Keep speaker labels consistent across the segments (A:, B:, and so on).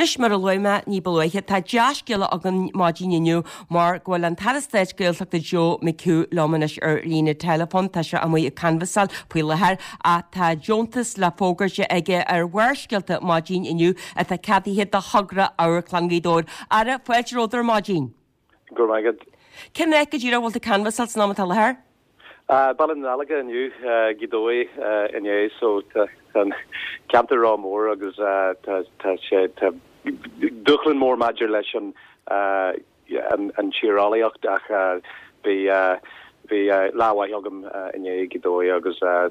A: Anois, mar a luaigh mé ní ba luaithe, tá dea-scéala againn maidin inniu mar go bhfuil an tAire Stáit Gaeltachta Joe McHugh liom anois ar líne teileafóin. Tá sé amuigh ag canbhasáil faoi láthair ach tá deontas le fógairt aige ar Bharrscéalta maidin inniu atá ceadaithe do thogra Amharclann Ghaoth Dobhair. Aire, fáilte romhat ar maidin.
B: Go raibh maith agat.
A: Cén áit go díreach a bhfuil tú ag canbhasáil san am atá i láthair?
B: Baile na Dálacha inniu, Gaoth Dobhair inné so tá an ceantar ró-mhór agus tá sé tá dúshlán mór maidir leis an an tíreolaíocht ach bhí bhí lá mhaith agam inné i Gaoth Dobhair agus tá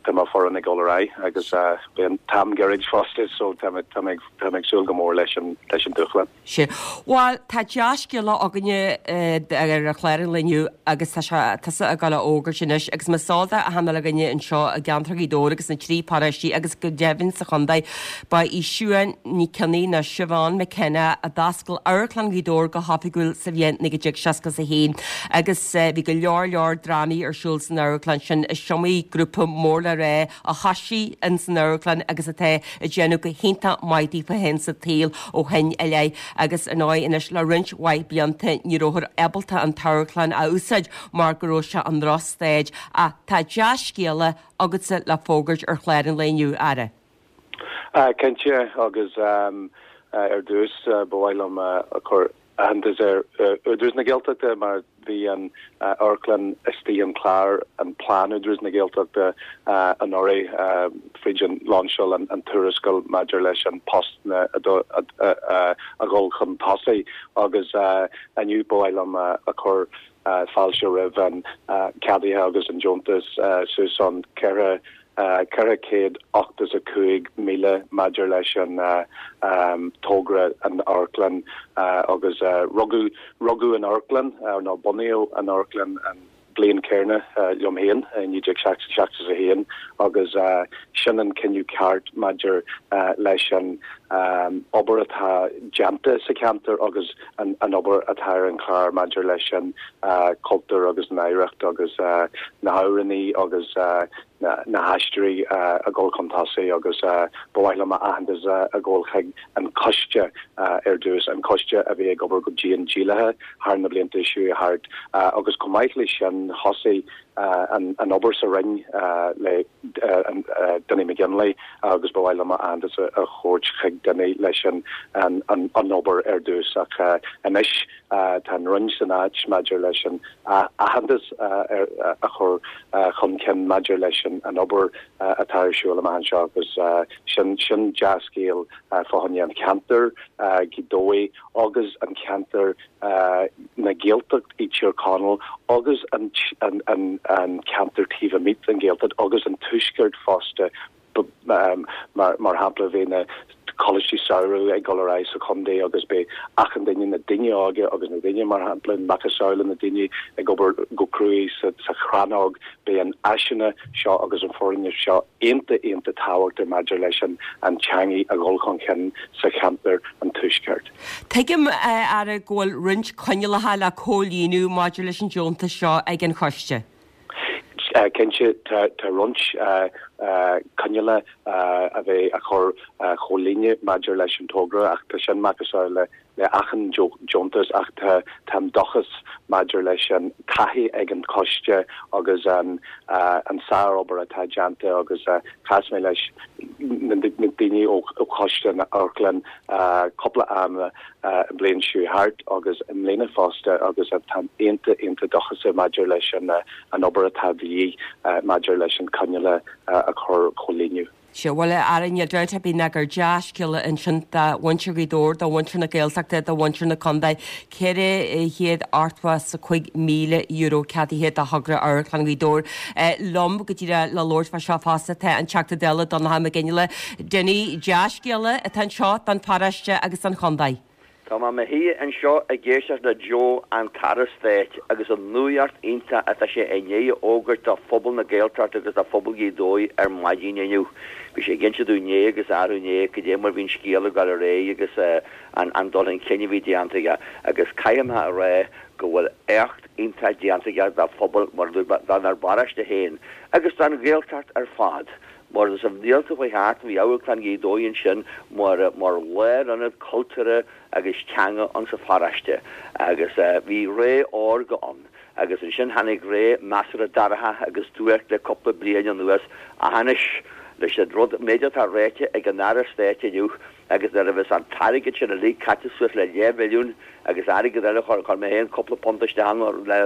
B: tá mo foireann ag dul ar aghaidh agus beidh an t-am gairid fosta so tá mé tá mé ag súil go mór leis an leis an dúshlán.
A: Sea. Bhuel, tá dea-scéala againne ar an chlár an lae inniu agus tá sé tusa ag dul a fhógairt anois agus más eol d'achan uile dhuine anseo i gceantar Ghaoth Dobhair agus na dtrí paróistí agus go deimhin sa chontae, ba í Siuán Ní Cionnaith nó Siobhán McKenna a d'oscail Amharclann Ghaoth Dobhair go hoifigiúil sa bhliain 1961 agus bhí go leor leor drámaí ar siúl san amharclann sin. Is iomaí grúpa mór le rá a thoisigh ins an amharclann agus atá ag déanamh go hiontach maith daofa féin sa tsaol ó shin i leith agus ar ndóigh anois le roinnt mhaith blianta ní rabhthar ábalta an t-amharclann a úsáid mar go raibh sé i ndrochstaid ach tá dea-scéala agatsa le fógairt ar chlár an lae inniu, a Aire.
B: Cinnte agus ar dtús ba mhaith liom a chur aitheantas ar Údarás na Gaeltachta mar bhí an amharclann istigh an clár, an plean Údarás na Gaeltachta anuraidh fríd an lainseáil an tuarascáil maidir leis an post a dhul chun tosaigh agus inniu ba mhaith liom a chur fáilte roimh an ceadaithe agus an deontas suas ann 4 485,000 maidir leis an togra an amharclann agus rugadh rugadh an amharclann nó bunaíodh an amharclann an bliain céanna liom féin i 1971 agus sin an cinneadh ceart maidir leis an obair atá déanta sa cheantar agus an obair atá ar an chlár maidir leis an cultúr agus an oidhreacht agus na hamhránaí agus na haisteoirí a dhul chun tosaigh agus ba mhaith liom aitheantas a ghabháil chuig an choiste ar dtús, an coiste a bhí ag obair go dian díograiseach thar na blianta seo thart agus chomh maith leis sin thosaigh an obair sa Roinn le Dinny McGinley agus ba mhaith liom aitheantas a thabhairt chuig Dinny leis an obair ar dtús ach anois tá an Roinn san áit maidir leis an aitheantas a chur chun cinn maidir leis an obair atá ar siúl amach anseo agus sin sin dea-scéal fá choinne an cheantair, Gaoth Dobhair agus an ceantar na Gaeltacht i Tír Chonaill agus an ceantar taobh amuigh den Ghaeltacht agus an Tuaisceart fosta. Mar shampla, bhí na coláistí samhraidh ag dul ar aghaidh sa chontae agus beidh achan duine, na daoine óga agus na daoine, mar shampla, macasamhla na daoine ag obair go cruaidh sa chrannóg, beidh an áiseanna seo agus an foirgneamh seo iontach, iontach tábhachtach maidir leis an teangaidh a dhul chun cinn sa cheantar an Tuaisceart.
A: Tuigim, a Aire, go bhfuil roinnt coinníollacha le comhlíonadh maidir leis an deontas seo ag an choiste.
B: Cinnte, tá roinnt coinníollacha a bheidh a chur chomhlíonadh maidir leis an togra ach tá sin macasamhail le achan deontas ach tá táim dóchas maidir leis an taithí ag an choiste agus an sár-obair atá déanta agus chas mé leis na daoine ó choiste na amharclann cúpla am an bhliain seo thart agus i mbliana fosta agus táim iontach iontach dóchasach maidir leis an an obair atá de dhíth maidir leis an coinníollacha a chur chomhlíonadh.
A: Sea, bhuel, a Aire, níl dabht ar bith ná gur dea-scéala ansin do mhuintir Ghaoth Dobhair, do mhuintir na Gaeltachta, do mhuintir na contae. €485,000 ceadaithe do thogra Amharclann Ghaoth Dobhair. Liom go díreach le labhairt fá seo fosta tá an Teachta Dála Donnchadh Mac Fhionnghaile. Dinny, dea-scéala atá anseo don pharóiste agus don chontae.
C: Tá mé i mo shuí anseo ag éisteacht le Joe, an tAire Stáit, agus an nuacht iontach atá sé i ndiaidh a fhógairt do phobal na Gaeltachta agus do phobal Ghaoth Dobhair ar maidin inniu. Bhí sé ag inse dúinn inné agus arú inné cad é mar bhí an scéal ag dul ar aghaidh agus an dul chun cinn a bhí déanta aige agus caithfidh mé a rá go bhfuil éacht iontach déanta aige do phobal mar a dúirt mé, dár bparóiste féin agus don Ghaeltacht ar fad. Mar sna blianta a chuaigh thart bhí Amharclann Ghaoth Dobhair ansin mar mar lárionad cultúrtha agus teanga insa pharóiste agus bhí ré órga ann agus ansin tháinig ré measartha dorcha agus duairc le cúpla bliain anuas ach anois leis an rud méid atá ráite ag an Aire Stáit inniu agus nuair a bheas an t-airgead sin uilig caite suas le leathmhilliún agus airgead eile chuir chuir mé féin cúpla punt isteach ann le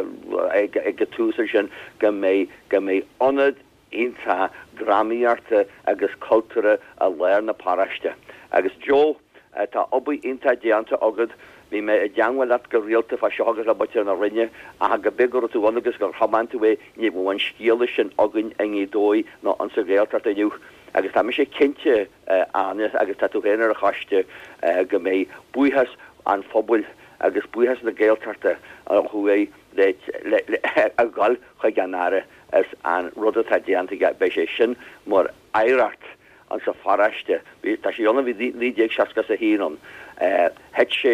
C: ag ag an tús ansin go mbeidh go mbeidh ionad iontach drámaíochta agus cultúrtha i lár na paróiste. Agus Joe, tá obair iontach déanta agat, bhí mé i dteangmháil leat go rialta fá seo agus le muintir na Roinne ach go b'é go raibh tú ann agus gur thiomáin tú é, ní bheadh an scéala sin againn i nGaoth Dobhair ná insa Ghaeltacht inniu. Agus tá mise cinnte, Áine, agus tá tú féin ar an choiste, go mbeidh buíochas an phobail agus buíochas na Gaeltachta ó thuaidh le ag dul chuig an Aire as an rud atá déanta aige, beidh sé sin mar oidhreacht insa pharóiste. Bhí, tá sé ann ó bhí 1961 ann. Thit sé,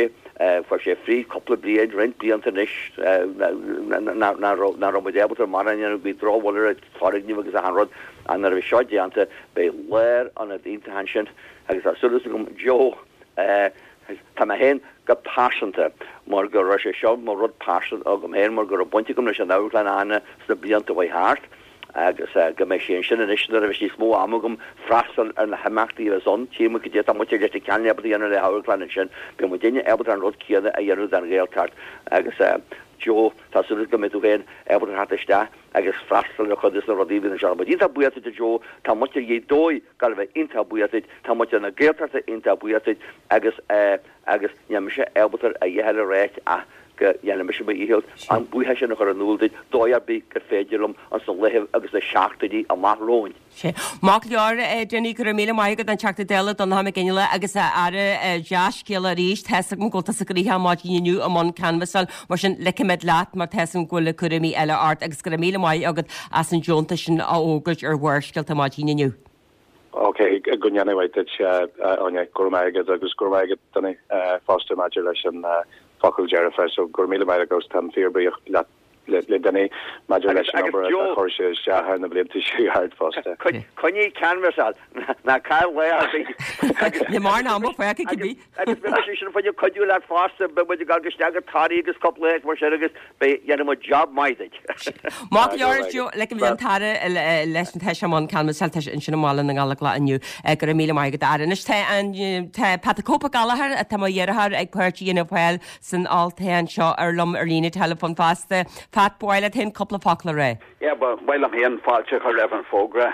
C: fuair sé fríd cúpla bliain, roinnt blianta anois, nach raibh, nach raibh muid ábalta mórán a dhéanamh, bhí drochbhail ar an foirgneamh agus achan rud, ach nuair a bhí seo déanta, beidh lárionad iontach ansin agus tá súil agam, Joe, Tá mé féin go pearsanta, mar go raibh sé seo mar rud pearsanta agam féin, mar go raibh baint agam leis an amharclann Áine sna blianta a chuaigh thart, agus go mbeidh sé ansin anois nuair a bheas níos mó ama agam freastal ar na himeachtaí a bheas ann. Tchí muid cad é atá muintir Leitir Ceanainn ábalta a dhéanamh le hamharclann ansin, beidh muidinne ábalta an rud céanna a dhéanamh don Ghaeltacht. Agus Joe, tá súil agam go mbeidh tú féin ábalta theacht isteach agus freastal ar chuid de na rudaí a bhíonn anseo. Tá muid iontach buíoch duit a Joe, tá muintir Ghaoth Dobhair ag gabháil a bheith iontach buíoch duit, tá muintir na Gaeltachta iontach buíoch duit agus eh agus níl mise ábalta a dhath eile a ráit ach go ndéanfaidh mise mo dhícheall an buíochas sin a chur in iúl duit dóigh ar bith gur féidir liom ins na laethe agus na seachtainí amach romhainn.
A: Sea. Maith go leor, a Dinny, go raibh míle maith agat an Teachta Dála Donnchadh Mac Fhionnghaile agus a Aire dea-scéala arís. Tá's agam go bhfuil tusa gnoitheach maidin inniu i mbun canbhasáil, mar sin ligfimid leat mar tá's agam go bhfuil cúraimí eile ort agus go raibh míle maith agat as an deontas sin a fhógairt ar Bharrscéalta maidin inniu.
B: Ok, go ndéana mhaith duit, a Áine. Go raibh maith agat agus go raibh maith agat, Dinny, fosta maidir leis an focal dearfa. So go raibh míle maith agat, táim fíorbhuíoch leat. le Dinny maidir leis an obair atá chuir sé isteach thar na blianta seo thart fosta.
C: Coinnigh canbhasáil, ná caill lá ar bith.
A: Ní mar ná mo féach ag cibé.
C: Agus beidh mise sin fá choinne cuidiú leat fosta, beidh muid ag dul isteach go Toraigh agus cúpla áit mar sin agus beidh, dhéanfaidh muid job maith duit.
A: Maith go leor, Joe, ligfimid an tAire leis an tá sé i mbun canbhasáil, tá sé ansin i mBaile na nGallóglach inniu. Go raibh míle maith agat, a Aire. Anois tá an, tá Pat an Cope Gallagher, atá mo dheartháir ag páirt a dhéanamh fáil san olltoghchán seo ar liom ar líne teileafóin fosta. Pat, ba mhaith leat féin cúpla focal a rá?
D: Yeah, ba mhaith liom féin fáilte a chur roimh an bhfógra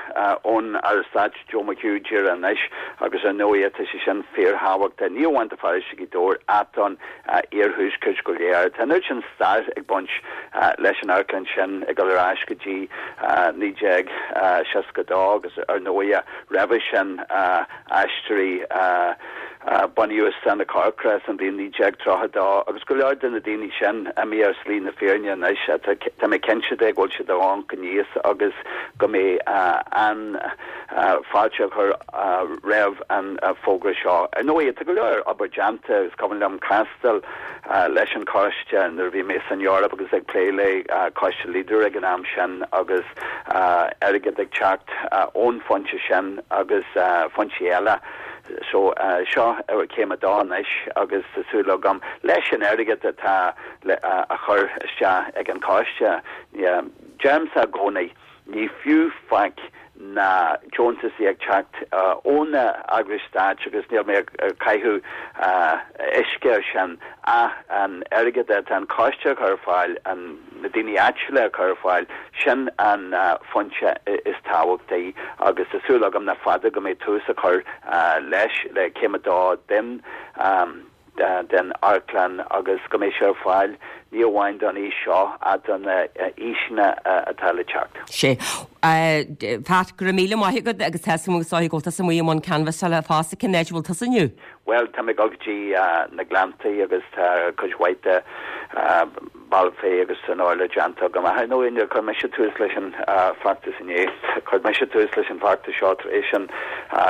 D: ón Aire Stáit Joe McHugh díreach anois agus ar ndóigh tá sé sin fíorthábhachtach, ní amháin do pharóiste Ghaoth Dobhair ach don iarthuaisceart go léir. Tá an oiread sin stair ag baint leis an amharclann sin ag dul ar ais go dtí 1962 agus ar ndóigh roimhe sin Aisteoirí a bunaíodh i Stána Corcra san bhliain 1932 agus go leor de na daoine sin imithe ar shlí na fírinne anois. Tá mé cinnte de go bhfuil siad ag amharc aníos agus go mbeidh an-fháilte á chur roimh an bhfógra seo. Ar ndóigh, tá go leor obair déanta. Is cuimhin liom castáil leis an choiste nuair a bhí mé san Eoraip agus ag plé le coiste Leader ag an am sin agus airgead ag teacht ón bhfoinse sin agus foinsí eile. So seo céim a dó anois agus tá súil agam leis an airgead atá le a chur isteach ag an choiste, deirimse i gcónaí, ní fiú faic na deontaisí ag teacht ó na eagrais stáit agus níl mé ag caitheamh uisce ar sin ach an airgead atá an coiste a chur ar fáil, na daoine áitiúla a chur ar fáil, sin an foinse is tábhachtaí agus tá súil agam nach fada go mbeidh tús á chur leis, le céim a dó den. den amharclann agus go mbeidh sé ar fáil ní amháin don aois seo ach do na haoiseanna atá le teacht.
A: Sea. Pat, go raibh míle maith agat agus tá 'fhios agam go bhfuil tusa amuigh i mbun canbhasála fosta. Cén áit a bhfuil tusa inniu?
D: Bhuel, tá mé ag dul go dtí na Gleanntaí agus tá cuid mhaith de Balfe agus san áireamh déanta agam. Ach ar ndóigh, níor chuir mise tús leis an bhfeachtas inné. Chuir mise tús leis an bhfeachtas seo tar éis an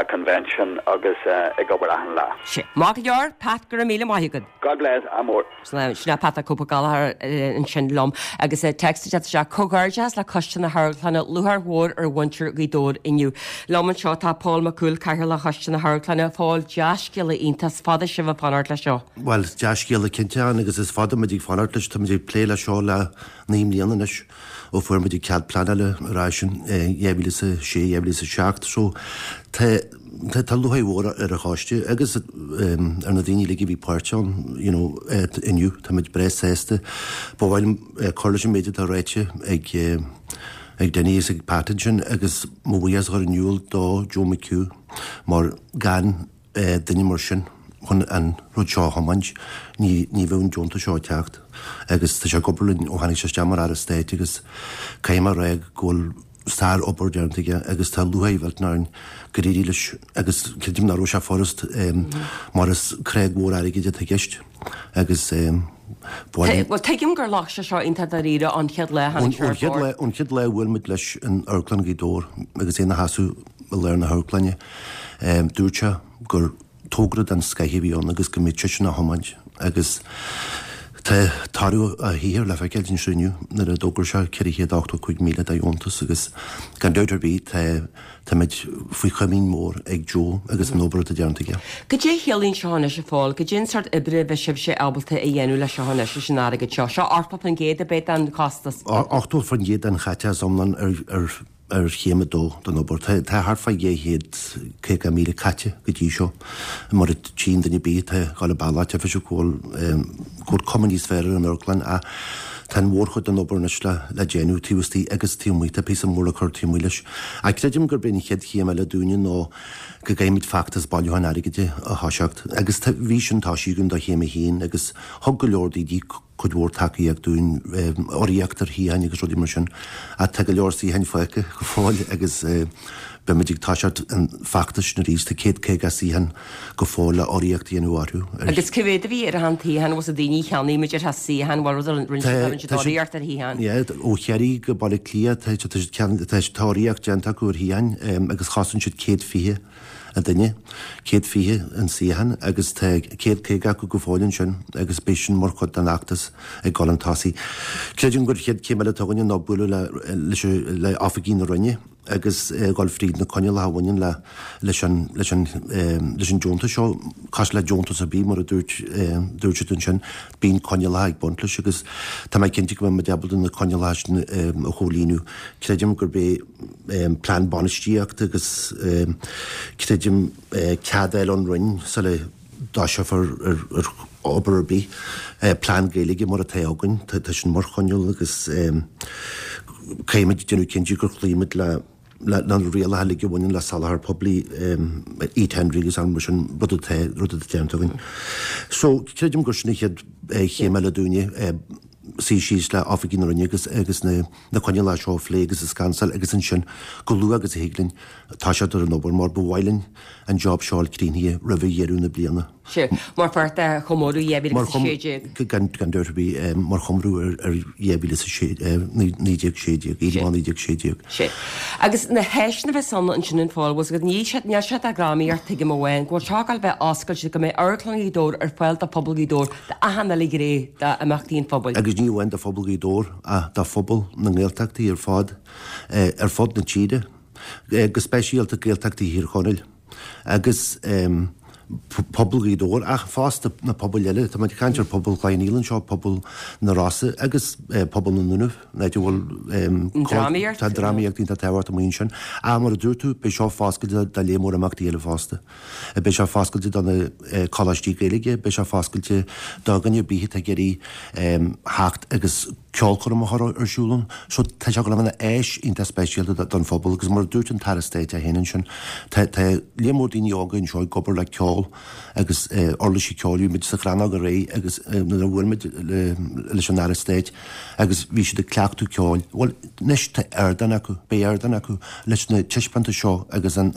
D: convention agus ag obair achan lá.
A: Sea. Maith go leor, Pat, go raibh míle maith agat.
D: God bless, ádh mór.
A: Sin é Pat an Cope Gallagher. Gallagher ansin liom agus téacs ag teacht isteach, Comhghairdeas le Coiste na hAmharclainne, lúcháir mhór ar mhuintir Ghaoth Dobhair inniu. Liom anseo tá Pól Mac Cumhaill, Cathaoirleach Choiste na hAmharclainne. Phóil, dea-scéala iontach, is fada sibh ag fanacht leis seo.
E: Bhuel, dea-scéala cinnte ann agus is fada muid ag fanacht leis, tá muid ag plé leis seo le 9 mbliana anois ó fuair muid an cead pleanála ar ais in 2006, 2007 so tá tá lúcháir mhór ar an choiste agus ar na daoine uilig a bhí páirteach ann you know inniu, tá muid breá sásta. Ba mhaith liom cur leis an méid atá ráite ag ag Dinny agus ag Pat ansin agus mo bhuíochas a chur in iúl do Joe McHugh mar gan duine mar sin chun an rud seo a thiomáint, ní ní bheadh an deontas seo ag teacht agus tá sé ag obair linn ó tháinig sé isteach mar Aire Stáit agus caithfidh mé a rá go bhfuil sár-obair déanta aige agus tá lúcháir mhillteanach orainn gur éirigh leis agus creidim nach raibh sé furast mar is creag mhór airgid atá i gceist agus
A: Bhuel, tuigim gur ghlac sé seo iontach dáiríre ón chéad lá a tháinig sé ar bord.
E: Ón chéad lá a bhuail muid leis in Amharclann Ghaoth Dobhair agus é ina sheasamh i lár na hamharclainne, dúirt sé gur togra den scoith a bhí ann agus go mbeadh seisean á thiomáint agus tá toradh a shaothair le feiceáil anseo inniu nuair a d'fhógair sé 485,000 de dheontas agus gan dabht ar bith tá Táimid faoi chomaoin mhór ag Joe agus an obair atá déanta aige.
A: Cad é a chiallaíonn seo anois a Phóil? Cad é an sórt oibre a bheidh sibhse ábalta a dhéanamh leis seo anois, leis an airgead seo? Seo 80% ab é den chostas?
E: 80% den chaiteachas iomlán ar chéim a dó den obair. Tá thart fá 250,000 caite go dtí seo. Mar a tchíonn duine ar bith atá ag dul an bealach, tchífidh siad go bhfuil cuma níos fearr ar an amharclann ach tá an mhórchuid den obair anois le déanamh taobh istigh agus taobh amuigh. Tá píosa mór le cur taobh amuigh leis. Ach creidim gurb é an chéad chéim eile dúinne ná go gcaithfimid feachtas bailiúcháin airgid a thoiseacht. Agus bhí sin toisithe againn do chéim a haon agus thug go leor daoine cuid mhór tacaíocht dúinn, urraíocht ar shuíocháin agus rudaí mar sin. Ach tá go leor suíocháin fágtha go fóill agus beimid ag toiseacht an feachtas sin arís. Tá 150 suíochán go fóill le urraíocht a dhéanamh orthu.
A: Agus cá mhéad a bhí ar achan tsuíochán, bhfuil daoine a cheannaigh muid ar shuíochán, bhfuil rud a rinne siad, rinne siad urraíocht ar shuíocháin?
E: Yeah, ó Chiarraí go Baile Átha Cliath tá tá tá urraíocht déanta acu ar shuíocháin agus chosain siad 120 an duine, 120 an suíochán agus tá 150 acu go fóill ansin agus beidh sin mar chuid den fheachtas ag dul chun tosaigh. Creidim gur chéad chéim eile atá againne ná bualadh le leis le oifigigh na Roinne. agus dhul fríd na coinníollacha a bhaineann le leis an leis an leis an deontas seo, cosúil le deontas ar bith mar a dúirt dúirt siad ansin, bíonn coinníollacha ag baint leis agus tá mé cinnte go mbeidh muid ábalta na coinníollacha sin a chomhlíonadh. Creidim gurb é plean bainistíochta agus creidim cead a fháil ón Roinn sula dtoiseofar ar obair ar bith. Plean Gaeilge mar atá againn, tá sin mar choinníoll agus caithfimid déanamh cinnte gur chloígh muid le na rialacha uilig a bhaineann le soláthar poiblí, e-tendering agus mar sin, rud atá rud atá déanta againn. So, creidim gur sin an chéad chéim eile dúinne, suí síos le oifigigh na Roinne agus agus na na coinníollacha seo a phlé agus a scansáil agus ansin, chomh luath agus a thig linn, toiseacht ar an obair mar ba mhaith linn an job seo a fháil críochnaithe roimh dheireadh na bliana.
A: Sea, mar pháirt de chomóradh 2016.
E: Gan dabht ar bith, mar chomóradh ar 2016, 1916, Éirí Amach 1916.
A: Sea. Agus na háiseanna a bheas ann ansin a Phóil, bhfuil níl sé níl sé do dhrámaíocht tuigim amháin, go bhfuil seo ag gabháil a bheith oscailte, go mbeidh Amharclann Ghaoth Dobhair ar fáil do phobal Ghaoth Dobhair, d'achan uile ghné d'imeachtaí an phobail.
E: Agus ní amháin do phobal Ghaoth Dobhair ach do phobal na nGaeltachtaí ar fad, ar fud na tíre. go speisialta Gaeltachtaí Thír Chonaill agus pobal Ghaoth Dobhair ach fosta na pobail eile. Tá muid ag caint ar pobal Chloich Cheann Fhaola anseo, pobal na Rosa agus pobal na nDúnaibh, an áit a bhfuil
A: drámaíocht.
E: Tá drámaíocht iontach tábhachtach amuigh ansin. Ach mar a dúirt tú, beidh seo foscailte do léar mór imeachtaí eile fosta. Beidh sé foscailte do na coláistí Gaeilge, beidh sé foscailte do dhuine ar bith atá ag iarraidh theacht agus ceolchoirm a chur ar siúl ann. So tá sé ag gabháil a bheith ina áis iontach speisialta don phobal agus mar a dúirt an tAire Stáit é féin ansin, tá tá léar mór daoine óga anseo ag obair le ceol agus uirlisí ceoil. Bhí muid sa Chrannóg aréir agus nuair a bhuail muid leis an Aire Stáit agus bhí siad ag cleachtadh ceoil. Bhuel, anois tá ardán acu, beidh ardán acu leis na taispeántais seo agus an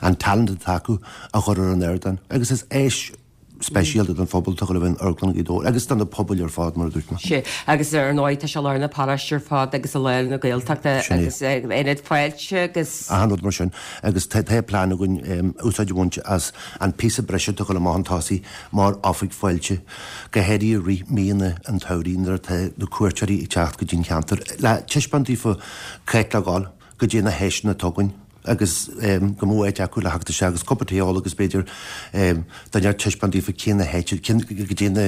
E: an talent atá acu a chur ar an ardán agus is áis. speisialta don phobal atá ag dul a bheith in Amharclann Ghaoth Dobhair agus do na pobail ar fad, mar a dúirt mé.
A: Sea, agus ar ndóigh tá sé i lár na paróiste ar fad agus i lár na Gaeltachta agus ionad fáilte agus.
E: Achan rud mar sin. Agus tá plean againn úsáid a bhaint as an píosa breise atá ag dul amach chun tosaigh mar oifig fáilte, go háirithe i rith míonna an tsamhraidh nuair atá na cuairteoirí ag teacht go dtí an cheantar le taispeáint daofa cá háit le dhul, goidé na háiseanna atá againn agus go mbeadh áit acu le theacht isteach agus cupa tae a ól agus b'fhéidir duine ag taispeáint daofa cé na háite, goidé na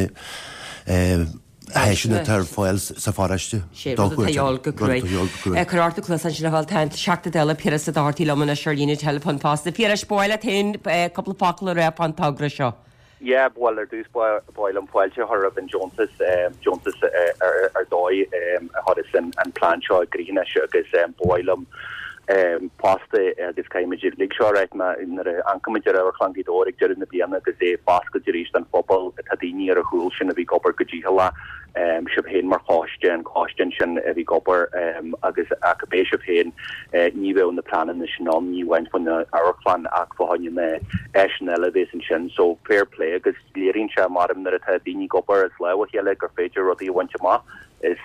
E: háiseanna atá ar fáil sa pharóiste
A: Sé rud atá a dhíobháil go cruaidh. Cuir ort do chluasa ansin a Phóil, tá an Teachta Dála Piaras Ó Dochartaigh liom anois ar líne teileafóin fosta. Phiarais, ba mhaith leat féin cúpla focal a rá fán togra seo.
B: Yeah, bhuel ar dtús ba mhaith liom fáilte a chur roimh an deontas, deontas ar dóigh a chuireas an plean seo i gcrích anois agus ba mhaith liom fosta agus caithfimid uilig seo a ráit nuair a amharcaimid ar Amharclann Ghaoth Dobhair ag deireadh na bliana agus é foscailte arís don phobal, tá daoine ar a chúl sin a bhí ag obair go dícheallach. sibh féin mar choiste, an coiste ansin a bhí ag obair agus ach cibé sibh féin, ní bheadh na pleananna sin ann, ní amháin fá choinne amharclann ach fá choinne na áiseanna eile a bhéas ansin. So fair play agus léiríonn sé maram nuair atá daoine ag obair as lámh a chéile gur féidir rudaí a bhaint amach. Is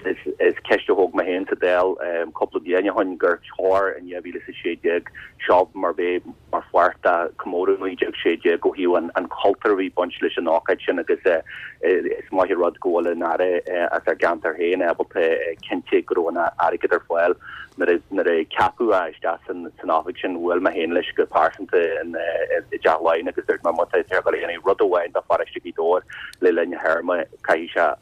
B: ceist a thóg mé féin sa Dáil cúpla bliain ó shin gur chóir in 2016 seo mar bheith mar pháirt de chomóradh 1916 ó thaobh an chultúir a bhí ag baint leis an ócáid sin agus is maith an rud go bhfuil an Aire as ár gceantar féin ábalta cinntiú go raibh an airgead ar fáil nuair a ceapadh é isteach san oifig sin. Bhuail mé féin leis go pearsanta i dTeach Laighean agus dúirt mé má tá sé ag dul a dhéanamh rud amháin do pharóiste Ghaoth Dobhair le linn a théarma caithfidh sé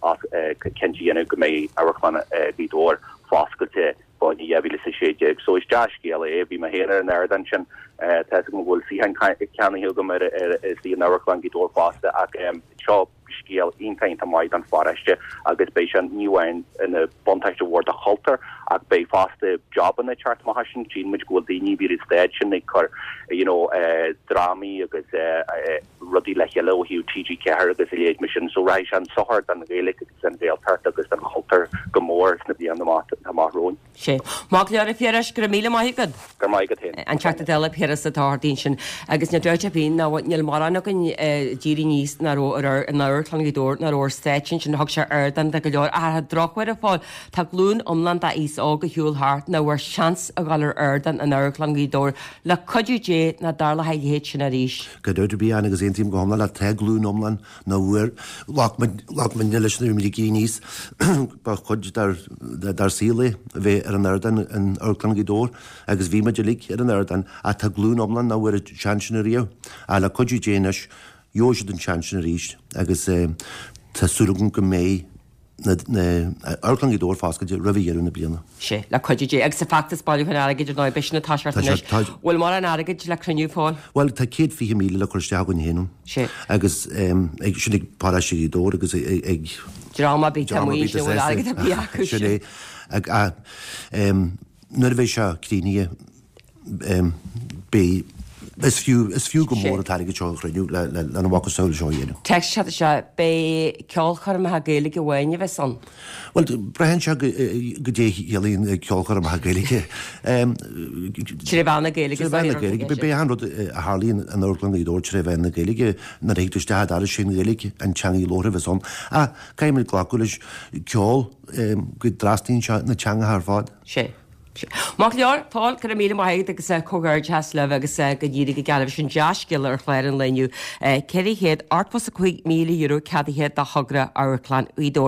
B: cinnte a dhéanamh go mbeidh Amharclann Ghaoth Dobhair foscailte fá choinne 2016. So is dea-scéal é. Bhí mé féin ar an ardán sin. Tá fhios agam go bhfuil suíochán ceannaithe agam ar istigh in Amharclann Ghaoth Dobhair fosta ach seo scéal iontach iontach maith don pharóiste agus beidh sé ní amháin ina buntáiste mhór do chultúr ach beidh fosta jobanna ag teacht amach as sin. Tchíonn muid go bhfuil daoine a bhí ar an stage sin ag cur you know drámaí agus rudaí le chéile ó thaobh TG4 agus a leithéid mar sin. So rachaidh sé chun sochair don Ghaeilge agus don Ghaeltacht agus don chultúr go mór sna blianta amach romhainn.
A: Sea. Maith go leor a Phiarais, go raibh míle maith agat.
B: Go raibh maith agat féin.
A: An Teachta Dála Piaras Ó Dochartaigh ansin. Agus níl dabht ar bith ná níl mórán againn a d'éirigh aníos nach raibh in Amharclann Ghaoth Dobhair nach raibh ar stáitse ansin. Thug sé ardán do go leor. Ach ar an drochuair a Phóil, tá glúin iomlán d'aos óg ar shiúl thart nach bhfuair seans a dhul ar ardán in Amharclann Ghaoth Dobhair. Le cuidiú Dé nach dtarlóidh a leithéid sin arís.
E: Gan dabht ar bith Ann agus aontaím go hiomlán leat, tá glúin iomlán nach bhfuair, ghlac muid, ghlac muidne leis nuair a bhí muid ag éirí aníos, ba chuid dár, dár saol é a bheith ar an ardán in Amharclann Ghaoth Dobhair agus bhí muid uilig ar an ardán ach tá glúin iomlán nach bhfuair an seans sin ariamh. Ach le cuidiú Dé anois, gheobhaidh siad an seans sin arís agus tá súil agam go mbeidh na Amharclann Ghaoth Dobhair foscailte roimh dheireadh na bliana.
A: Sea, le cuidiú Dé. Agus an feachtas bailiúcháin airgid ar ndóigh, b'shin atá sé anois. Bhfuil mórán airgid le cruinniú, a Phóil?
E: Bhuel, tá 120,000 le cur isteach againn féin ann.
A: Sea.
E: Agus ag, sin ag paróiste Ghaoth Dobhair agus ag.
A: Dream ar bith atá amuigh ansin a bhfuil airgead ar bith acu.
E: Sin é. Nuair a bheidh sé críochnaithe, Beidh. Is fiú, is fiú go mór an t-airgead seo a chruinniú lena mhacasamhail seo a dhéanamh.
A: Téacs isteach anseo, Beidh ceolchoirmeacha Gaeilge amháin a bheas ann.
E: Bhuel, braitheann sé goidé a chiallaíonn ceolchoirmeacha Gaeilge.
A: Tré mheán na Gaeilge.
E: Tré mheán na Gaeilge. Beidh achan rud a tharlaíonn in Amharclann Ghaoth Dobhair tré mheán na Gaeilge. Nuair a thig tú isteach an doras, sé an Ghaeilge an teanga labhartha a bheas ann. Ach caithfidh muid glacadh leis ceol go dtrasnaíonn sé na teangacha ar fad.
A: Sea. Maith go leor, Paul, go raibh míle maith agat agus comhghairdeas libh agus go n-éirí go geal libh. Sin dea-scéala ar chlár an lae inniu. €485,000 ceadaithe do thogra Amharclann Ghaoth Dobhair.